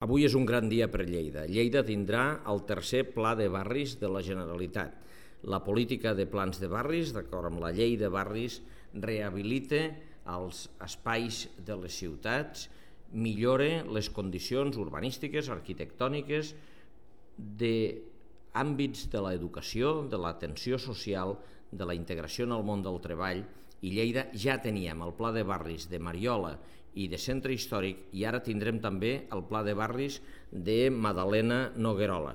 Avui és un gran dia per Lleida. Lleida tindrà el tercer pla de barris de la Generalitat. La política de plans de barris, d'acord amb la llei de barris, rehabilita els espais de les ciutats, millora les condicions urbanístiques, arquitectòniques, d'àmbits de l'educació, de l'atenció social, de la integració en el món del treball, i Lleida ja teníem el pla de barris de Mariola i de Centre Històric i ara tindrem també el pla de barris de Madalena Noguerola.